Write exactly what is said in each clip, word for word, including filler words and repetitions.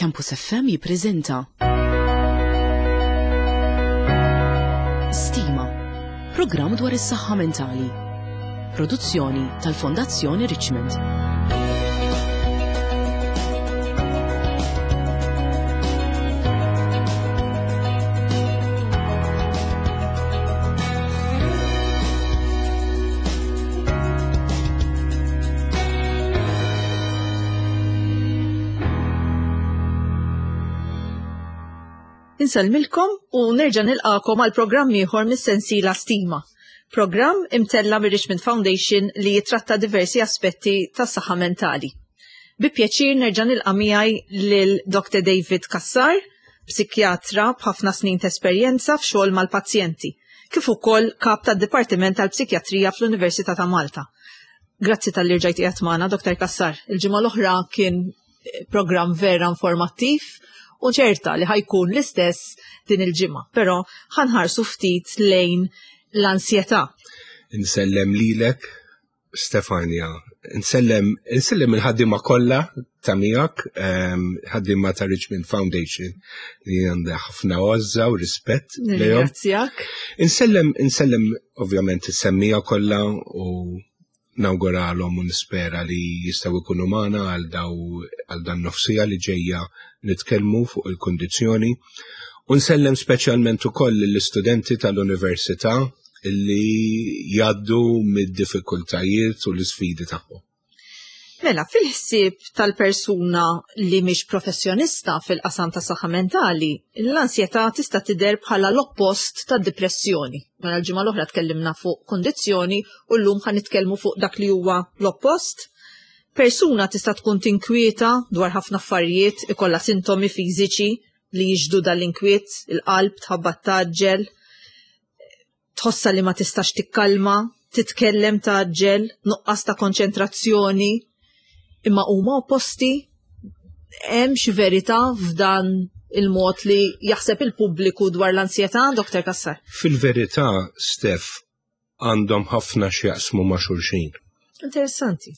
Campus F M jippreżenta Stima, programm dwar is-saħħa mentali. Produzzjoni tal-Fondazzjoni Richmond. Insellmilkom u nerġa' nilqakom għal programm ieħor mis-sensiela Stima. Programm imtella mir-Richmond Foundation li jitratta diversi aspetti tas-saħħa mentali. Bi pjaċir nerġa' nilqa' miegħi lil Doctor David Cassar, psikjatra b'ħafna snin ta' esperjenza f'xogħol mal-pazjenti, kif ukoll kap tad-Dipartiment tal-Psikjatrija fl-Università ta' Malta. Grazzi tal-li rġajt qiegħed magħna, Doctor Cassar. Il-ġimgħa l-oħra kien programm vera informattiv u ċerta li ħajkun l-istess din il-ġimgħa, però ħanħarsu ftit lejn l-ansjetà. Insellem lilek, Stefania, insellem, insellem il-ħaddiema kollha ta' miegħek, ehm, ħaddiema ta' Richmond Foundation li għandha ħafna għożża u rispett lejhom. Nirringrazzjak. Insellem, insellem ovvjament is-semmija kollha u nawguralhom u nispera li jistgħu jkunu magħna għal daw, għal dan nofsija li ġejja nitkellmu fuq il-kundizzjoni. U nsellem speċjalment ukoll lill-istudenti tal-università li jgħaddu mid-diffikultajiet u l-isfidi tagħhom. Mela, fil-ħsieb tal-persuna li mhix professjonista fil-qasam ta' saħħa mentali, l-ansjetà tista' tidher bħala l-oppost tad-depressjoni. Mela l-ġimgħa l-oħra tkellimna fuq kondizzjoni u llum ħa nitkellmu fuq dak li huwa l-oppost. Persuna tista' tkun tinkwieta dwar ħafna affarijiet, ikollha sintomi fiżiċi li jiġdu dal-inkwiet, il-qalb tħabbat taġġel, tħossha li ma tistax tikkalma, titkellem taġġel, nuqqas ta' konċentrazzjoni, imma huma opposti. Hemm xi verità f'dan il-mod li jaħseb il-pubbliku dwar l-ansjetà, Doctor Cassar? Fil-verità, Steph, għandhom ħafna x'jaqsmu ma' xulxin. Interessanti.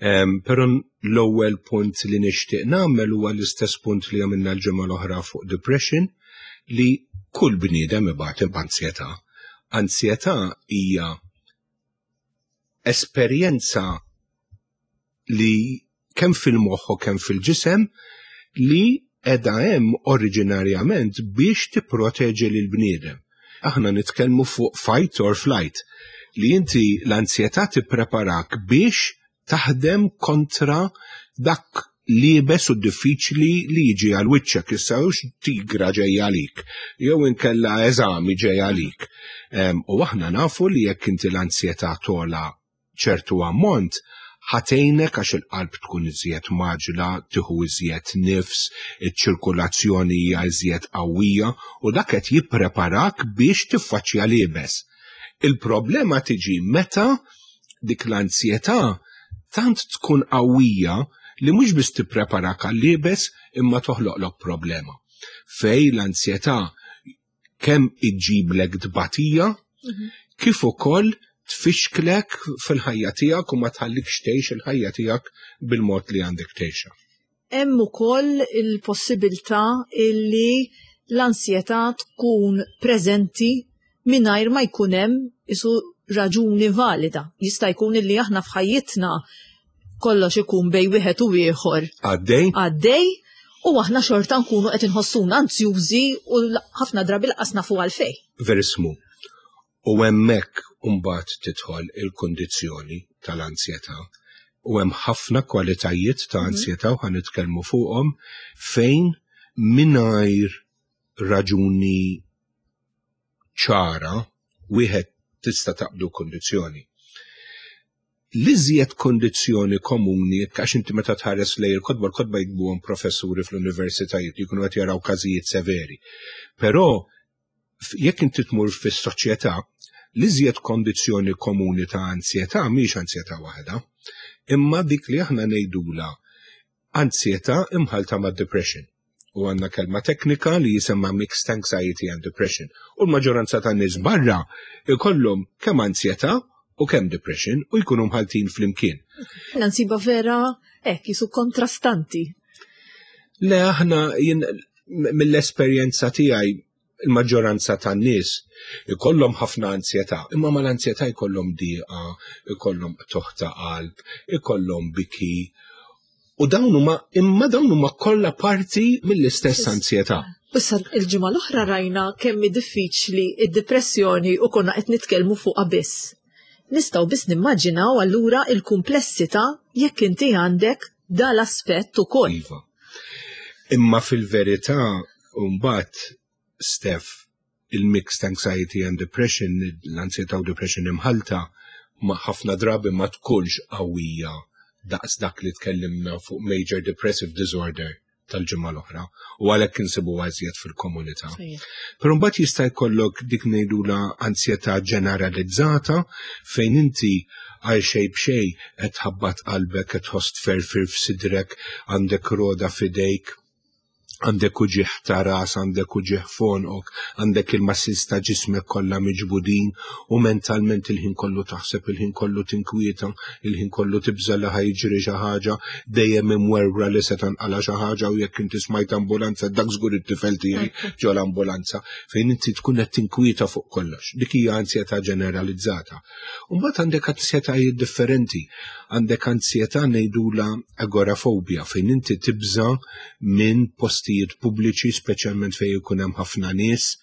Em, però l-ewwel punt li nixtieq nagħmel huwa l-istess punt li għamilna l-ġimgħa l-oħra fuq depression, li kull bniedem ibati b'ansjetà. Ansjetà hija esperjenza li kemm fil-moħħ u kemm fil-ġisem li qiegħda hemm oriġinarjament biex tipproteġi lil bniedem. Aħna nitkellmu fuq fight or flight, li inti l-ansjetà tippreparak biex taħdem kontra dak liebes u diffiċli li jiġi għal wiċċek, issa hux tigra ġejja għalik, jew inkella eżami ġej għalik. Em, u aħna nafu li jekk inti l-ansjetà tola ċertu ammont, ħatejnek għax il-qalb tkun iżjed maġla, tieħu iżjed nifs, iċ-ċirkulazzjoni hija iżjed qawwija u dak qed jippreparak biex tiffaċċja liebes. Il-problema tiġi meta dik l-ansjetà tant tkun qawwija li mhux biss tippreparak għal-liebes imma toħloqlok problema. Fej l-ansjetà kemm iġġiblek tbatija, Mhm. kif ukoll tfixklek fil-ħajja tiegħek u ma tħallikx tgħix il-ħajja tiegħek bil-mod li għandek tgħixha. Hemm ukoll il-possibilità illi l-ansjetà tkun preżenti mingħajr ma jkun hemm isu raġuni valida. Jista' jkun illi aħna f'ħajjitna kollox ikun bej wieħed u ieħor. Għaddej? Għaddej, u aħna xorta nkunu qed inħossuna anzjużi u ħafna drabi laqas nafu għalfejn. Verismu. U hemmhekk imbagħad tidħol il-kundizzjoni tal-ansjetà. U hemm ħafna kwalitajiet ta' Mhm. ansjetà u ħa nitkellmu fuqhom fejn mingħajr raġuni ċara wieħed tista' taqbdu kundizzjoni. L-iżjed kondizzjoni komuni, għax inti meta tħares lejn il-kotba, l-kotba jikbuhom professuri fl-universitajiet li jkunu qed jaraw każijiet severi. Però f-, jekk inti tmur fis-soċjetà, l-iżjed kondizzjoni komuni ta' ansjetà mhix ansjetà waħda, imma dik li aħna ngħidula ansjetà imħalta ma' depression. U għandna kelma teknika li jisemma mixed anxiety and depression. U l-maġġoranza tan nies barra ikollhom kemm ansjetà u kemm depression u jkunu mħaltin flimkien. Nansiba vera hekk jisu kontrastanti. Le, aħna jien mill-esperjenza tiegħi il-maġġoranza tan-nies ikollhom ħafna ansjetà, imma mal-ansjetà jkollhom diqa, ikollhom qtugħ ta' qalb, ikollhom biki. U dawn huma imma dawn huma kollha parti mill-istess ansjetà. Issa il-ġimgħa l-oħra rajna kemm hi diffiċli id-depressjoni u konna qed nitkellmu fuqha biss. Nistgħu biss nimmaġinaw allura il-kumplessità jekk inti għandek dal-aspett ukoll. Iva. Imma fil-verità mbagħad Steph, il-mixed anxiety and depression, l-ansjetà u depression imħalta, ma ħafna drabi ma tkunx qawwija daqs dak li tkellimna fuq major depressive disorder tal-ġimgħa l-oħra u għalhekk insibu iżjed fil-komunità. Però mbagħad jista' jkollok dik ngħidula ansjetà ġeneralizzata fejn inti għal xejn b'xejn qed tħabbat qalbek, qed tħoss tferfir f'sidrek, għandek roda f'idejk, għandek uġigħ ta' ras, għandek uġigħ f'għonqok, għandek il-muscles ta' ġismek kollha miġbudin u mentalment il-ħin kollu taħseb, il-ħin kollu tinkwieta, il-ħin kollu tibża li ħa jiġri xi ħaġa, dejjem imwerwra li se tanqala xi ħaġa u jekk inti smajt ambulanza dak żgur it-tifel tiegħi ġo l-ambulanza fejn inti tkun qed tinkwieta fuq kollox. Dik hija ansjetà ġeneralizzata. U mbagħad għandek ansjetajiet differenti. Għandek ansjetà ngħidula agorafobja fejn inti tibża minn postijiet pubbliċi, speċjalment fejn ikun hemm ħafna nies,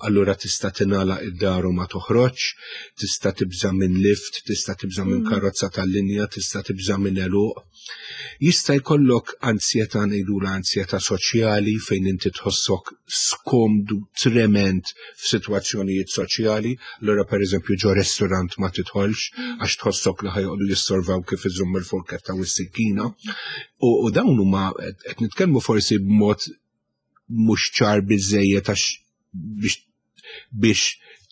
allura tista' tingħalaq id-dar u ma toħroġ, tista' tibża minn lift, tista' tibża minn karozza tal-linja, tista' tibża minn għeluq. Jista' jkollok ansjetà ngħidula ansjetà soċjali fejn inti tħossok skomdu trement f'sitwazzjonijiet soċjali, allura pereżempju ġo restorant ma tidħolx għax tħossok li ħa joqogħdu jissorvaw kif iżomm il-forketta u s-sikkina. U, u dawn huma qed nitkellmu forsi b'mod mhux ċar biżejjed għax biex biex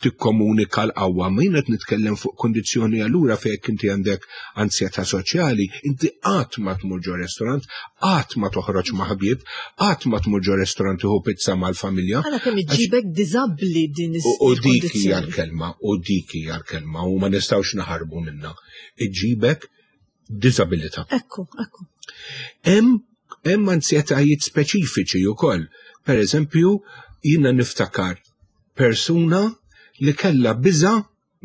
tikkomunika l-qawwa, ma jien qed nitkellem fuq kondizzjoni allura fejn inti għandek ansjetà soċjali, inti qatt ma tmur ġo restorant, qatt ma toħroġ ma' ħbieb, qatt ma tmur ġo restorant tieħu pizza mal-familja. Għala kemm iġibek diżabbli din U u dik hija il-kondizzjoni. l-kelma, u dik hija l-kelma, u ma nistgħux naħarbu minna. Iġibek diżabilità. Ekku, ekku. Hemm hemm ansjetajiet speċifiċi wkoll. Per eżempju, jiena niftakar persuna li kella biża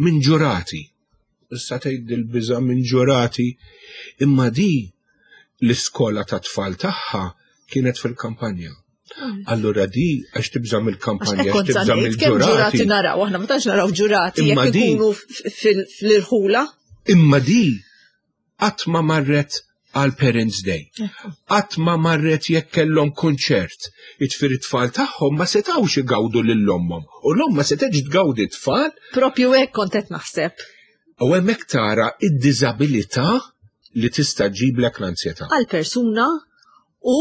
minn ġurati. Issa tgħid il-biża minn ġurati, imma di l-iskola ta' tfal tagħha kienet fil-kampanja. Allura di għax tibża mill-kampanja, għax tibża Kemm ġurati mill-ġurati. naraw, aħna ma tantx naraw ġurati Imma jekk di- ikunu f- fil- fl-irħula. Imma di qatt ma marret għal Parents Day. Qatt ma marret jekk kellhom konċert. Jiġifieri t-tfal tagħhom ma setgħux igawdu lil ommhom. U l-omm ma setgħetx tgawdi t-tfal Propju hekk kont qed naħseb. u hemmhekk tara id-diżabilità li tista' ġiblek l-ansjetà. Għal persuna u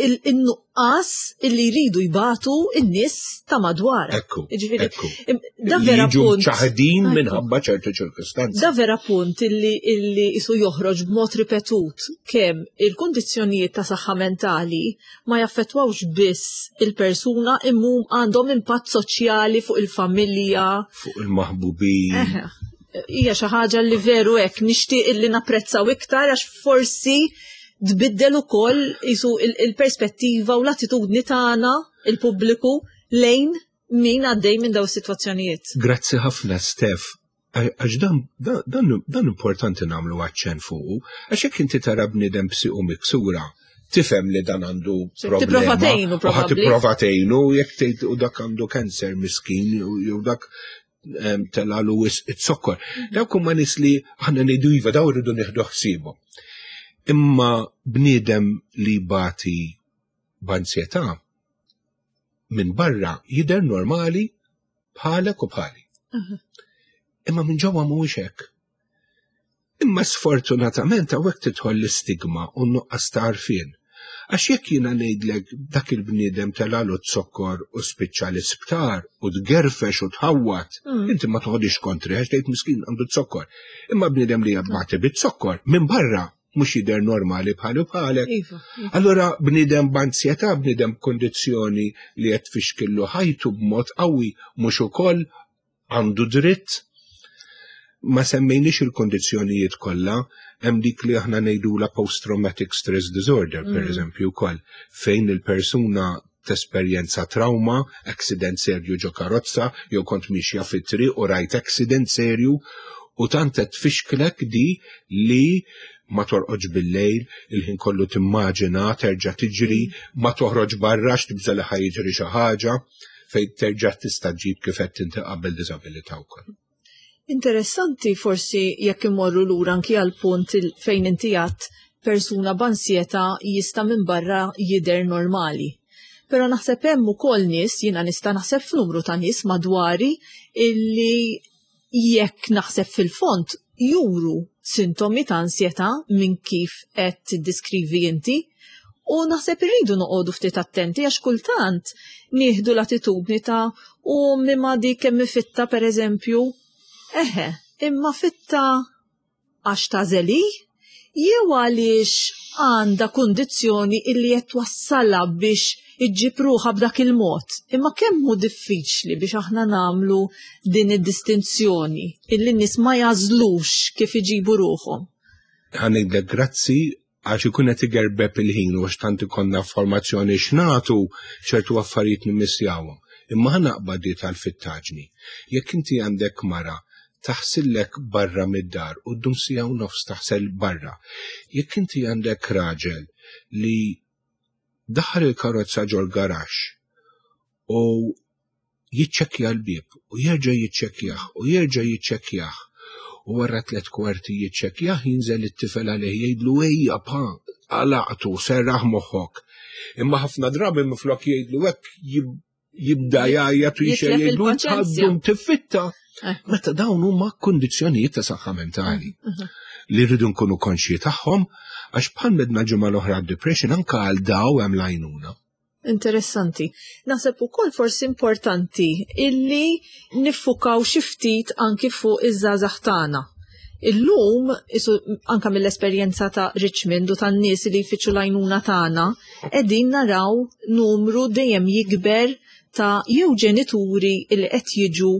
il-nuqqas illi jridu jbatu in-nies ta' madwar. Ekku, Jiġifieri, ekku. im- Da Li vera jiġu punt. ċaħdin Ekku. minħabba ċertu ċirkustanzi. Da vera punt illi, illi isu joħroġ b'mod ripetut kemm il-kundizzjonijiet ta' saħħa mentali ma jaffettwawx biss il-persuna imma għandhom impatt soċjali fuq il-familja. Fuq il-maħbubin. Eħe. Hija xi ħaġa li veru hekk nixtieq illi napprezzaw iktar għax forsi tbiddel ukoll isu il- il-perspettiva u l-attitudni tagħna il-pubbliku lejn min għaddej minn daw is-sitwazzjonijiet. Grazzi ħafna, Steph. Għax dan, dan, dan, dan importanti nagħmlu aċċenn fuqu, għax jekk inti tara bniedem b'siqu miksura, tifhem li dan għandu problema. Tipprova tgħinu, U ħa probabbli. tipprova tgħinu, jekk tgħid u dak għandu kanser miskin, u jew dak em, telalu wisq it-sokkor. Dawk huma nies li aħna ngħidu iva daw irridu nieħdu ħsiebhom. Imma bniedem li bati b'ansjetà minn barra jidher normali bħalek u bħali. Imma minn ġewwa mhuwiex hekk. Imma sfortunatament hawnhekk tidħol l-istigma u n-nuqqas ta' għarfien. Għax jekk jiena ngħidlek dak il-bniedem telalu z-zokkor u spiċċa l-isptar u tgerfex u tħawwat, inti ma toħodix kontri għax tgħid miskin għandu z-zokkor. Imma bniedem li jbati bit-zokkor minn barra mhux jidher normali bħalu bħalek. Iva. Allora bniedem b'ansjetà, bniedem b'kondizzjoni li qed tfixkillu ħajtu b'mod qawwi mhux ukoll għandu dritt. Ma semmejniex il-kondizzjonijiet kollha, hemm dik li aħna ngħidula post-traumatic stress disorder, per mm. eżempju wkoll, fejn il-persuna tesperjenza trauma, accident serju ġo karozza, jew kont mixja fit-triq u rajt accident serju, u tant qed tfixklek di li ma torqodx bil-lejl, il-ħin kollu timmaġina, terġa' tiġri, ma toħroġ barra x'tibża' li ħa jiġri xi ħaġa, fejn terġa' tista' ġib kif qed inti qabel diżabilità wkoll. Interessanti forsi jekk imorru lura anki għal punt fejn inti għedt persuna b'ansjetà jista' minn barra jidher normali. Però naħseb hemm ukoll nies, jiena nista' naħseb f'numru ta' nies madwari illi jekk naħseb fil-fond juru sintomi ta' ansjetà minn kif qed tiddiskrivi inti. U naħseb irridu noqogħdu ftit attenti għax kultant nieħdu l-attitudni ta' u mimma dik kemm fitta pereżempju. Eħe, imma fitta għax tażeli jew għaliex għandha kundizzjoni illi qed twassalha biex iġġib ruħha b'dak il-mod. Imma kemm hu diffiċli biex aħna nagħmlu din id-distinzjoni illi n-nies ma jażlux kif iġibu ruħhom. Ħa ngħidlek grazzi għax ikun qed igerbeb il-ħin u għax tant ikollna formazzjoni x'nagħtu ċertu affarijiet nimmissjawhom. Imma ħa naqbad di tal-fittaġni. Jekk inti għandek mara taħsillek barra mid-dar u ddum siegħa u nofs taħsel barra. Jekk inti għandek raġel li daħal il-karozza ġol garaxx u jiċċekkja l-bieb u jerġa' jiċċekkjah u jerġa' jiċċekkjah u wara tliet kwarti jiċċekkjah jinżel it-tifel għalih jgħidlu ejja pa għalaqtu serraħ moħħok. Imma ħafna drabi minflok jgħidlu hekk jibda jgħajjat u Jitlef jgħidlu il-paċenzja. għaddum tiffitta. Eh. Meta dawn huma kundizzjonijiet ta' saħħa mentali li rridu nkunu konxji tagħhom għax bħal medna ġimgħa l-oħra depression anke għal daw hemm l-għajnuna. Interessanti. Naħseb ukoll forsi importanti illi niffukaw xi ftit anki fuq iż-żgħażagħ tagħna. Illum, isu anka mill-esperjenza ta' Richmond u tan-nies li jfittxu l-għajnuna tagħna, qegħdin naraw numru dejjem jikber ta' jew ġenituri li qed jiġu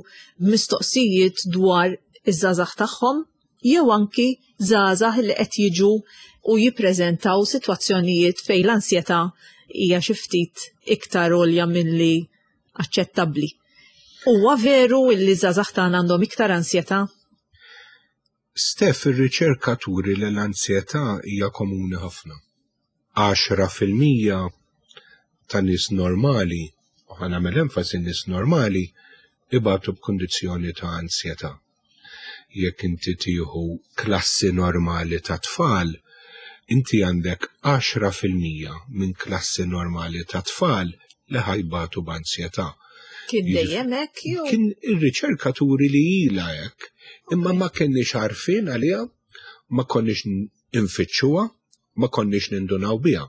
mistoqsijiet dwar iż-żgħażagħ tagħhom, jew anki żgħażagħ li qed jiġu u jippreżentaw sitwazzjonijiet fejn l-ansjetà hija xi ftit iktar għolja milli aċċettabbli. Huwa veru li żgħażagħ tagħna għandhom iktar ansjetà? Stef, ir-riċerka turi li l-ansjetà hija komuni ħafna. Għaxra fil-mija ta' nies normali, u ħa nagħmel enfasi nies normali, ibatu b'kundizzjoni ta' ansjetà. Jekk inti tieħu klassi normali ta' tfal, inti għandek għaxra fil-mija minn klassi normali ta' tfal li ħa jbatu b'ansjetà. Kien Jiġifieri- dejjem hekk jew? Kien ir-riċerka turi li ilha hekk, imma ma kenniex għarfien għaliha, ma konniex infittxuha, ma konniex nindunaw biha.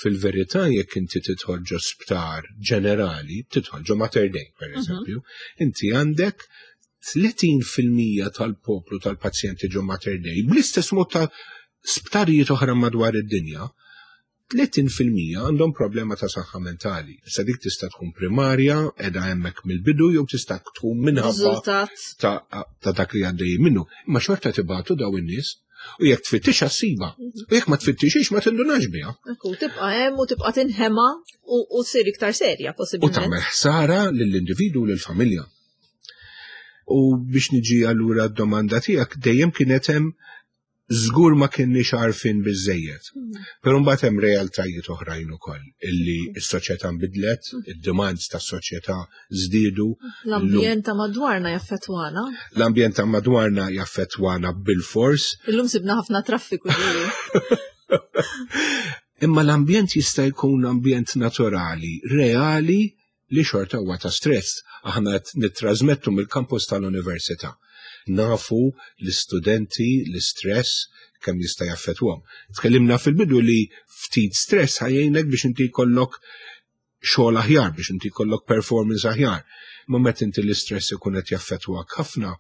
Fil-verità jekk inti tidħol ġo sptar ġenerali, tidħol ġo Mater Dei, per eżempju, inti għandek tletin fil-mija tal-poplu tal-pazjenti ġo Mater Dei, bl-istess mod ta' sptarijiet oħra madwar id-dinja, tletin fil-mija għandhom problema ta' saħħa mentali. Issa dik tista' tkun primarja, qiegħda hemmhekk mill-bidu, jew tista' tkun minħabba Riżultat. ta', ta' dak li għaddej minnu. Imma xorta tibatu daw in-nies u jekk tfittixha ssibha. U jekk ma tfittixix ma tindunax biha. Ekku, tibqa' hemm u tibqa' tinħema u, u ssir iktar serja U possibilment. tagħmel ħsara lill-individu u lill-familja. U biex niġi allura d-domanda tiegħek dejjem kienet hemm żgur ma kienniex għarfin biżejjed. Però mbagħad hemm realtajiet oħrajn ukoll illi s-soċjetà nbidlet, id-demands tas-soċjetà żdiedu. L-ambjent ta' madwarna jaffettwana. L-ambjent ta' madwarna jaffettwana bil-fors. Illum sibna ħafna traffiku ġieli. Imma l-ambjent jista' jkun ambjent naturali, reali, li xorta huwa ta' stress. Aħna qed nittrażmettu mill-kampus tal-università. Nafu l-istudenti, l-istress kemm jista' jaffettwahom. Tkellimna fil-bidu li ftit stress ħa jgħinek biex inti jkollok xogħol aħjar, biex inti jkollok performance aħjar. Ma meta inti l-istress ikun qed jaffettwak ħafna,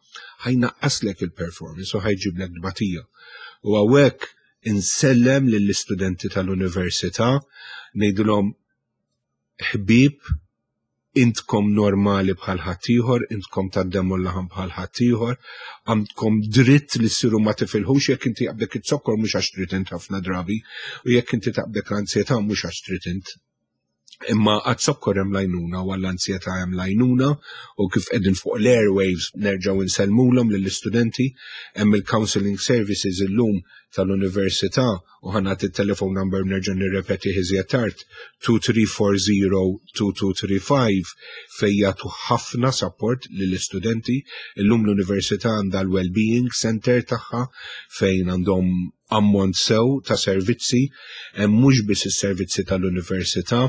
ħa jnaqqaslek il-performance u ħa jġiblek tbatija. U hawnhekk insellem lill-istudenti tal-università, ngħidulhom ħbieb, Intkom normali bħal ħaddieħor, intkom tad-demm u l-laħam bħal ħaddieħor, għandkom dritt li ssiru ma tifilħux. Jekk inti jaqbdek iz-zokkor, mhux għax trid int ħafna drabi, u jekk inti taqbdek l-ansjetà, mhux għax trid int. Imma għaz-zokkor hemm l-għajnuna u għall-ansjetà hemm l-għajnuna, u kif qegħdin fuq l-airwaves nerġgħu insellmulhom lill-istudenti, hemm il-counseling services illum tal-università u ħa nagħti il-telephone number, nerġa' nirrepeti iżjed tard, tnejn tlieta erba' żero tnejn tnejn tlieta ħamsa, fejn jagħtu ħafna support lill-istudenti. Illum l-università għandha l-well-being center tagħha fejn għandhom ammont sew ta' servizzi, hemm mhux biss is-servizzi tal-università,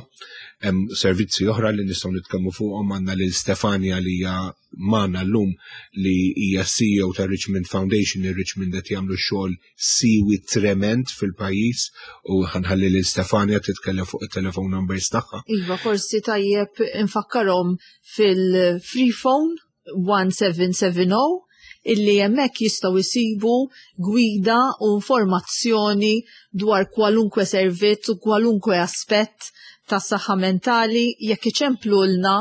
hemm servizzi oħra li nistgħu nitkellmu fuqhom. Għandna lil Stefania li hija magħna llum, li hija C E O ta' Richmond Foundation. Il-Richmond qed jagħmlu xogħol siwi trement fil-pajjiż u ħa nħalli lil Stefania titkellem fuq it-telephone numbers tagħha. Iva, forsi tajjeb infakkarhom fil-free phone wieħed seba' seba' żero illi hemmhekk jistgħu jsibu gwida u informazzjoni dwar kwalunkwe servizz u kwalunkwe aspett tas saħħa mentali. Jekk iċemplulna,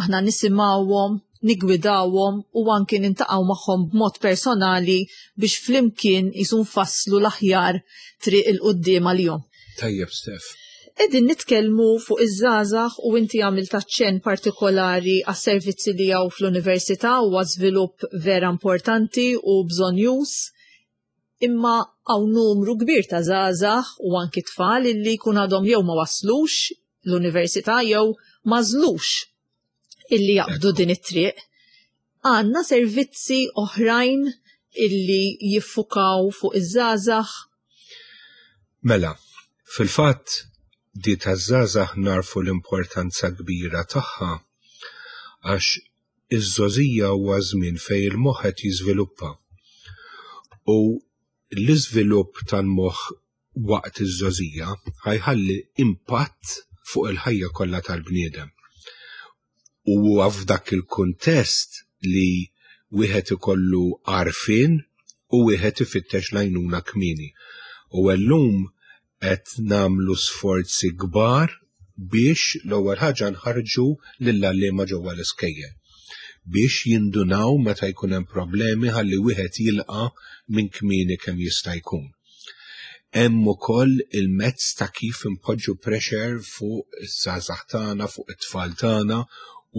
aħna nisimgħuhom, nigwidawhom u anki niltaqgħu magħhom b'mod personali biex flimkien jisu nfasslu l-aħjar triq 'il quddiem għalihom. Tajjeb, Stef. Qegħdin nitkellmu fuq iż-żgħażagħ u inti għamilt aċċenn partikolari għas-servizzi li hawn fl-università u żvilupp vera importanti u bżonnjuż. Imma hawn numru kbir ta' żgħażagħ u anki tfal illi jkun għadhom jew ma waslux l-università jew m'għażlux illi jaqbdu din it-triq. Għandna servizzi oħrajn illi jiffukaw fuq iż-żgħażagħ? Mela, fil-fatt di taż-żgħażagħ narfu l-importanza kbira tagħha għax iż-żgħożija huwa żmien fejn il-moħħ qed jiżviluppa. U l-iżvilupp tal-moħħ waqt iż-żgħożija ħa jħalli impatt fuq il-ħajja kollha tal-bniedem. U huwa f'dak il-kuntest li wieħed ikollu għarfien u wieħed ifittex l-għajnuna kmieni. U llum qed nagħmlu sforzi kbar biex l-ewwel ħaġa nħarġu lill-għalliema ġewwa l-iskejjel biex jindunaw meta jkun hemm problemi ħalli wieħed jilqa' minn kmieni kemm jista' jkun. Hemm ukoll il-mezz ta' kif impoġġu pressure fuq iż-żgħażagħ tagħna, fuq it-tfal tagħna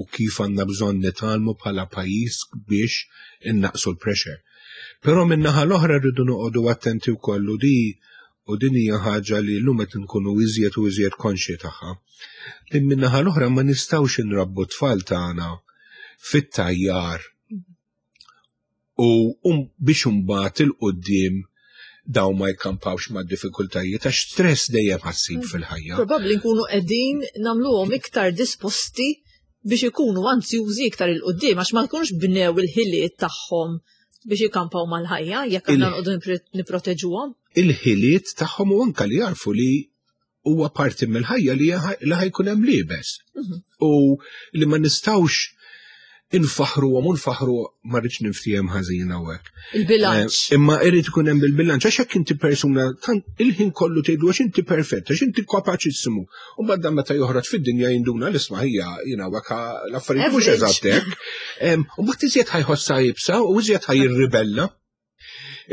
u kif għandna bżonn nitgħallmu bħala pajjiż biex innaqsu l-pressure. Però min-naħa l-oħra rridu noqogħdu attenti wkoll, u di u din hija ħaġa li llum qed nkunu iżjed u iżjed konxji tagħha. Li min-naħa l-oħra ma nistgħux inrabbu tfal tagħna fit-tajjar u um, biex imbagħad 'il quddiem daw ma jkampawx ma' diffikultajiet, għax stress dejjem ħa ssib fil-ħajja. Probabbli nkunu qegħdin nagħmluhom iktar disposti biex ikunu anzjużi iktar 'il quddiem għax ma jkunux bnew il-ħiliet tagħhom biex ikampaw mal-ħajja jekk aħna noqogħdu nipproteġuhom. Il-ħiliet tagħhom u anka li jarfu li huwa parti mill-ħajja li li ħa jkun hemm l-iebes. Mhm. U li ma nistgħux infaħru u nfaħru, ma rridx niftiehem ħażin hawnhekk. Il-bilanċ. Eh, Imma irid ikun hemm bil-bilanċ għax jekk inti persuna tant il-ħin kollu tgħidu għax inti perfett, għax inti kapaċissimu. U mbagħad meta joħroġ fid-dinja jinduna l-isma' hija jiena waka l-affarijiet mhux Average. eżatt hekk. Em, U mbagħad iżjed ħa jħossha iebsa u iżjed ħa jirribella.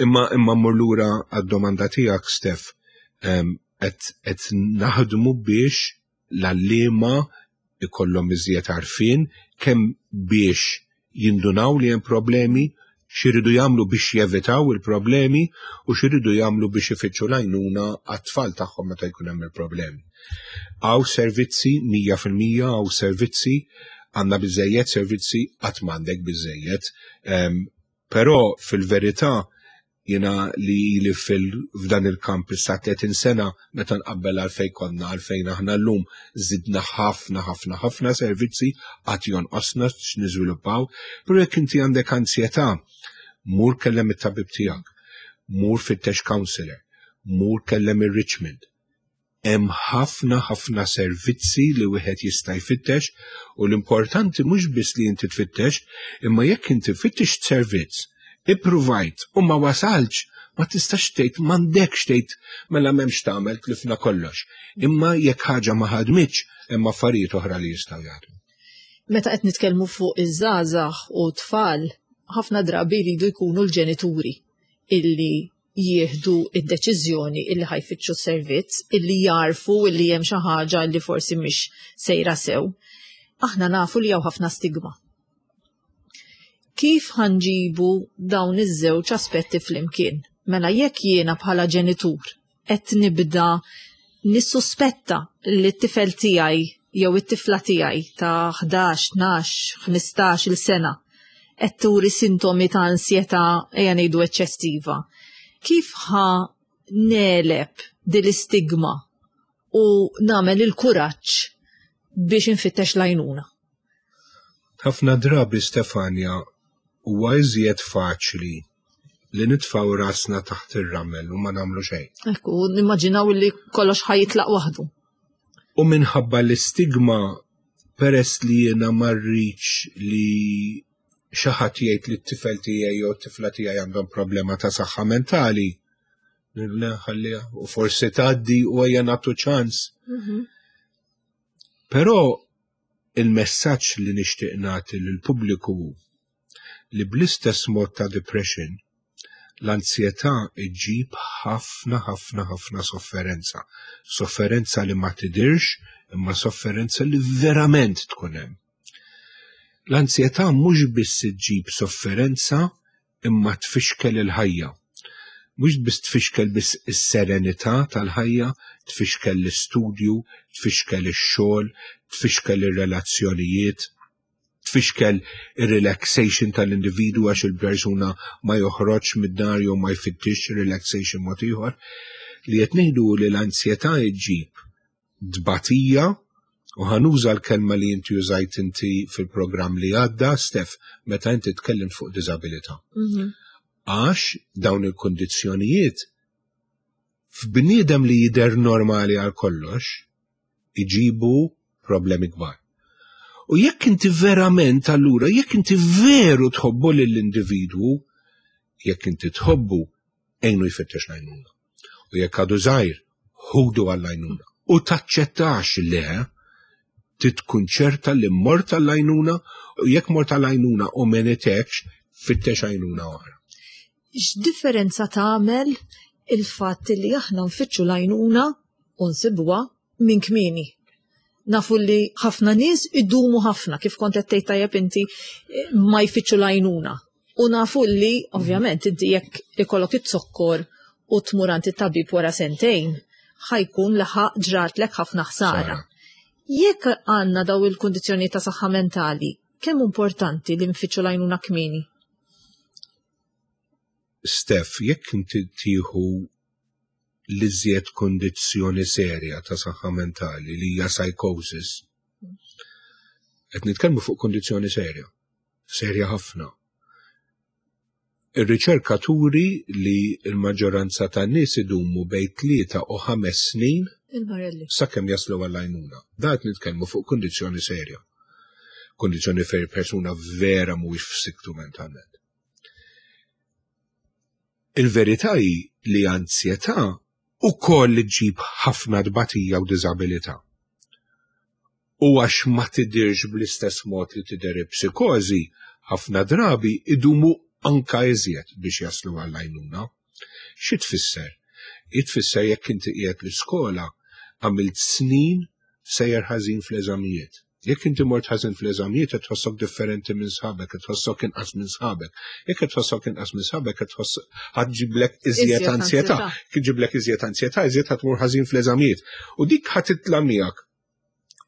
Imma imma mmur lura għad-domanda tiegħek, Steph, em, qed qed naħdmu biex l-għalliema ikollhom iżjed għarfien kemm biex jindunaw li hemm problemi, x'iridu jagħmlu biex jevitaw il-problemi u x'iridu jagħmlu biex ifittxu l-għajnuna għat-tfal tagħhom meta jkun hemm il-problemi. Hawn servizzi, mija fil-mija hawn servizzi, għandna biżejjed servizzi, qatt m'għandek biżejjed. Em, Però fil-verità jiena li li fil f'dan il-kamp issa tletin sena, meta nqabbel għalfejn konna għalfejn aħna llum, żidna ħafna ħafna ħafna servizzi, qatt jonqosna x'niżviluppaw, però jekk inti għandek ansjetà, mur kellem it-tabib tiegħek, mur fittex counselor, mur kellem ir-Richmond. Hemm ħafna ħafna servizzi li wieħed jista' jfittex u l-importanti mhux biss li inti tfittex, imma jekk inti fittex servizz, ippruvajt u ma wasalx, ma tistax tgħid, m'għandekx tgħid mela m'hemmx tagħmel, tlifna kollox. Imma jekk ħaġa ma ħadmitx, hemm affarijiet oħra li jistgħu jaħdmu. Meta qed nitkellmu fuq iż-żgħażagħ u tfal, ħafna drabi jridu jkunu l-ġenituri illi jieħdu id-deċiżjoni illi ħa jfittxu servizz, illi jarfu illi hemm xi ħaġa illi forsi mhix sejra sew. Aħna nafu li hawn ħafna stigma. Kif ħa nġibu dawn iż-żewġ aspetti flimkien? Mela jekk jiena bħala ġenitur qed nibda nissuspetta li t-tifel tiegħi jew it-tifla tiegħi ta' ħdax, tnax, ħmistax il sena qed turi sintomi ta' ansjetà, ejja ngħidu, eċċessiva. Kif ħa negħleb din l-istigma u nagħmel il-kuraġġ biex infittex l-għajnuna? Ħafna drabi, Stefania, huwa iżjed faċli li nitfgħu rasna taħt ir-ramel u ma nagħmlu xejn. Ekku, nimmaġinaw li kollox ħa jitlaq waħdu. U minħabba l-istigma, peress li jiena ma rridx li xi ħadd jgħid li t-tifel tiegħi jew t-tifla tiegħi għandhom problema ta' saħħa mentali. Ħalliha u forsi tgħaddi u ejja nagħtu ċans. Mhm. Però il-messaġġ li nixtieq nagħti lill-pubbliku li bl-istess mod ta' depression, l-ansjetà iġġib ħafna, ħafna, ħafna sofferenza. Sofferenza li ma tidirx, imma sofferenza li verament tkun hemm. L-ansjetà mhux biss iġġib sofferenza, imma tfixkel il-ħajja. Mhux biss tfixkel biss is-serenità tal-ħajja, tfixkel l-istudju, tfixkel ix-xogħol, tfixkel ir-relazzjonijiet, tfixkel ir-relaxation tal-individu, għax il-persuna ma joħroġ mid-dar jew ma jfittix relaxation mod ieħor. Li qed ngħidu li l-ansjetà ġġib tbatija, u ħa nuża l-kelma li inti użajt inti fil-programm li għadda, Stef, meta inti tkellim fuq disabilità. Mhm. Għax dawn il-kondizzjonijiet f'bniedem li jider normali għal kollox iġibu problemi kbar. U jekk inti verament allura, jekk inti veru tħobbu lill-individwu, jekk inti tħobbu, għinu jfittex l-għajnuna. U jekk għadu żgħir, ħudu għall-għajnuna. U taċċettax le, tkun ċerta li mort għall-għajnuna, u jekk mort għall-għajnuna u m'għenitekx, fittex għajnuna oħra. X'differenza tagħmel il-fatt li aħna nfittxu l-għajnuna u nsibuha minn kmieni? Nafu li ħafna nies idumu ħafna, kif kont qed tgħid tajjeb inti, ma jfittxu l-għajnuna. U nafu li, ovvjament, inti jekk ikollok it-zokkor u tmur għand it-tabib wara sentejn, ħa jkun laħaq ġratlek ħafna ħsara. Jekk għandna daw il-kundizzjoni ta' saħħa mentali, kemm importanti li nfittxu l-għajnuna kmieni? Stef, jekk inti tieħu l-iżjed kondizzjoni serja ta' saħħa mentali li hija psychosis, qed nitkellmu fuq kondizzjoni serja, serja ħafna. Ir-riċerka turi li l-maġġoranza tan-nies idumu bejn tlieta u ħames snin Il-marelli. sakemm jaslu għall-għajnuna. Da qed nitkellmu fuq kondizzjoni serja. Kondizzjoni fejn persuna vera mhuwiex f'siktu mentalment. Il-verità hi li ansjetà ukoll ġġib ħafna tbatija u diżabilità. U għax ma tidirx bl-istess mod li tidher psikożi, ħafna drabi idumu anka iżjed biex jaslu għall-għajnuna. Xi tfisser? Jitfisser jekk inti qiegħed l-iskola, għamilt snin sejjer ħażin fl-eżamijiet. Jekk inti mort ħażin fl-eżamijiet, qed tħossok differenti minn sħabek, qed tħossok inqas minn sħabek. Jekk qed tħossok inqas minn sħabek, qed tħoss ħa ġġiblek iżjed Iżjed ansjetà. ansjetà. Kif ġiblek iżjed ansjetà, iżjed ħa tmur ħażin fl-eżamijiet. U dik ħa titla' miegħek.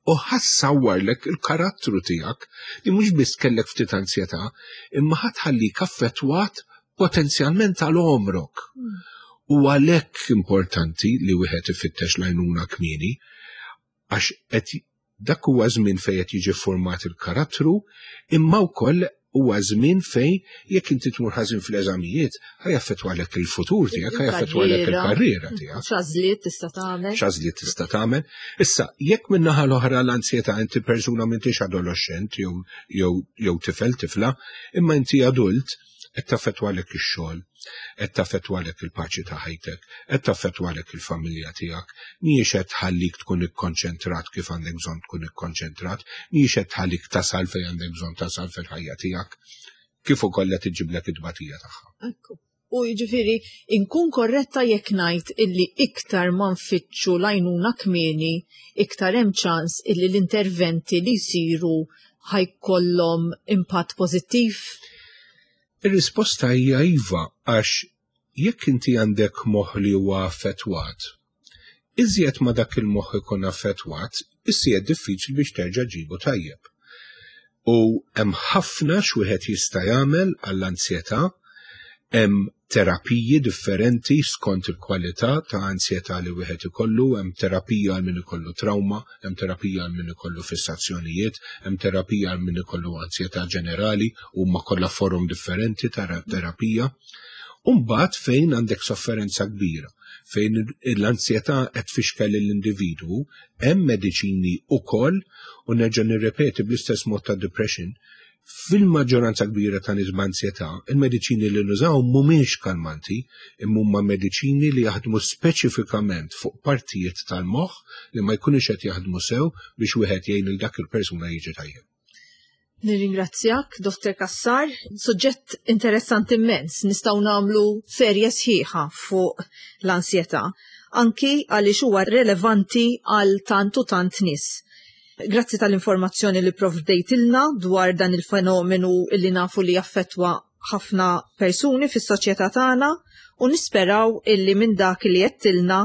U ħa ssawwarlek il-karattru tiegħek li mhux biss kellek ftit ansjetà, imma ħa tħallik affettwat potenzjalment għal għomrok. Mm. U għalhekk importanti li wieħed ifittex l-għajnuna kmieni, għax qed dak huwa żmien fejn qed jiġi format il-karattru, imma wkoll huwa żmien fejn jekk inti tmur ħażin fl-eżamijiet, ħa jaffettwalek il-futur tiegħek, ħa jaffettwalek il-karriera tiegħek. X'għażliet tista' tagħmel? X'għażliet tista' tagħmel. Issa, jekk min-naħa l-oħra l-ansjetà inti persuna m'intix adolescent jew jew jew tifel, tifla, imma inti adult Qed taffettwalek ix-xogħol, qed taffettwalek il-paċi ta' ħajtek, qed taffettwalek il-familja tiegħek, mhijiex qed tħallik tkun ikkonċentrat kif għandek bżonn tkun ikkonċentrat, mhijiex qed tħallik tasal fejn għandek bżonn tasal fil-ħajja tiegħek, kif ukoll qed iġiblek it-tbatija tagħha. Ekku. U jiġifieri inkun korretta jekk ngħid illi iktar ma nfittxu l-għajnuna kmieni, iktar hemm ċans illi l-interventi li jsiru ħa jkollhom impatt pożittiv? Ir-risposta hija iva, għax jekk inti għandek moħħ li huwa affettwat, iżjed ma dak il-moħħ ikun affettwat, iżjed diffiċli biex terġa' ġibu tajjeb. U hemm ħafna x'wieħed jista' jagħmel għall-ansjetà, hemm terapiji differenti skont il-kwalità ta' ansjetà li wieħed ikollu, hemm terapija għal min ikollu trauma, hemm terapija għal min ikollu fissazzjonijiet, hemm terapija għal min ikollu ansjetà ġenerali, huma kollha forom differenti ta' terapija. U mbagħad fejn għandek sofferenza kbira, fejn l-ansjetà qed tfixkel lill-individwu, hemm mediċini ukoll, u nerġa' nirrepeti bl-istess mod ta' depression, fil-maġġoranza kbira ta' nies b'ansjetà, il-mediċini li nużaw mhumiex kalmanti, imma huma mediċini li jaħdmu speċifikament fuq partijiet tal-moħħ li ma jkunux qed jaħdmu sew biex wieħed jgħin lil dak il-persuna jiġi tajjeb. Nirringrazzjak, Dottor Cassar. Suġġett interessanti immens, nistgħu nagħmlu serje sħiħa fuq l-ansjetà, anki għaliex huwa relevanti għal tant u tant nies. Grazzi tal-informazzjoni li provdejtilna dwar dan il-fenomenu illi nafu li jaffettwa ħafna persuni fis-soċjetà tagħna, u nisperaw illi minn dak li għedtilna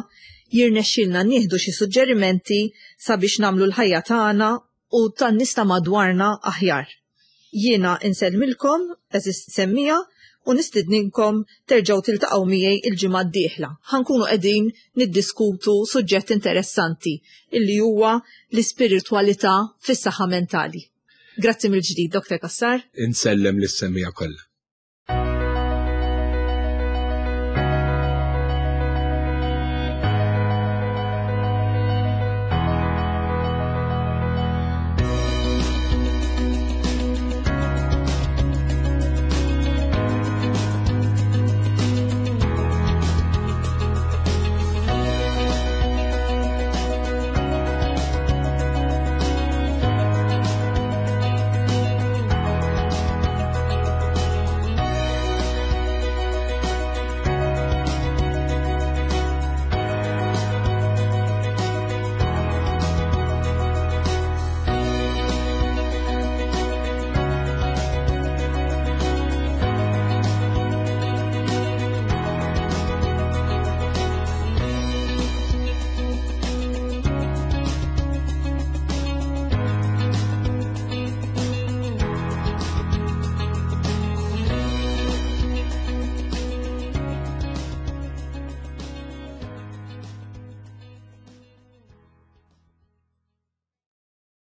jirnexxilna nieħdu xi suġġerimenti sabiex nagħmlu l-ħajja tagħna u tan-nies ta' madwarna aħjar. Jiena insellmilkom, għeżież semmiegħa, u nistedninkom terġgħu tiltaqgħu miegħi il-ġimgħa d-dieħla. Ħa nkunu qegħdin niddiskutu suġġett interessanti illi huwa l-ispiritwalità fis-saħħa mentali. Grazzi mill-ġdid, Dottor Cassar. Insellem lis-semmiegħa kollha.